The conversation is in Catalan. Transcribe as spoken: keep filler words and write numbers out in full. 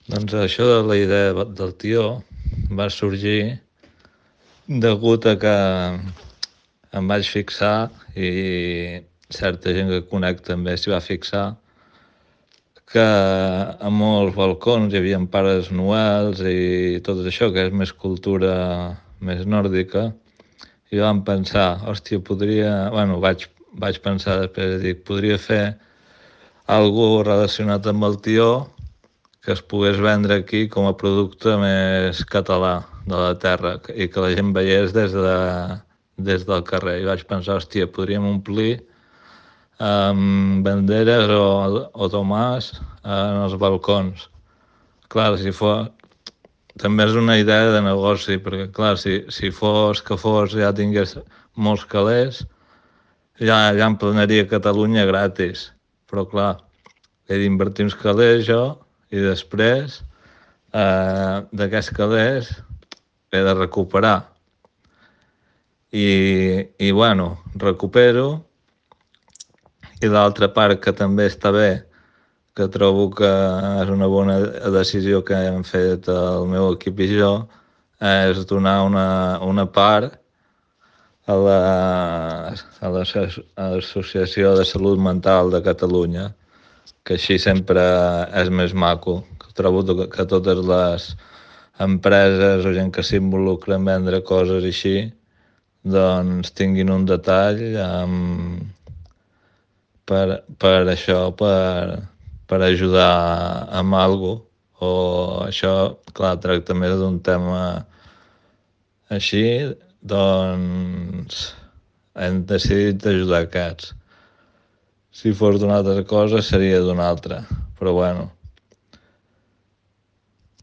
Doncs això de la idea del tió va sorgir degut a que em vaig fixar, i certa gent que conec també s'hi va fixar, que a molts balcons hi havia pares noels i tot això, que és més cultura més nòrdica, i vam pensar, hòstia, podria... Bueno, vaig, vaig pensar després, dic, podria fer algú relacionat amb el tió que es pogués vendre aquí com a producte més català de la terra i que la gent veiés des, de, des del carrer. I vaig pensar, hòstia, podríem omplir amb banderes o, o tomàs en els balcons. Clar, si fos... També és una idea de negoci, perquè clar, si, si fos que fos ja tingués molts calés, ja, ja em planaria Catalunya gratis. Però clar, he d'invertir uns calés jo i després eh, d'aquests calés he de recuperar. I, i bueno, recupero. I l'altra part que també està bé, que trobo que és una bona decisió que hem fet el meu equip i jo, és donar una, una part a la, a l'Associació de Salut Mental de Catalunya, que així sempre és més maco. Trobo que totes les empreses o gent que s'involucra en vendre coses així, doncs tinguin un detall amb, per, per això, per, per ajudar amb alguna cosa. O això, clar, tracta més d'un tema així, doncs hem decidit d'ajudar aquests. Si fos d'una altra cosa seria d'una altra, però bueno,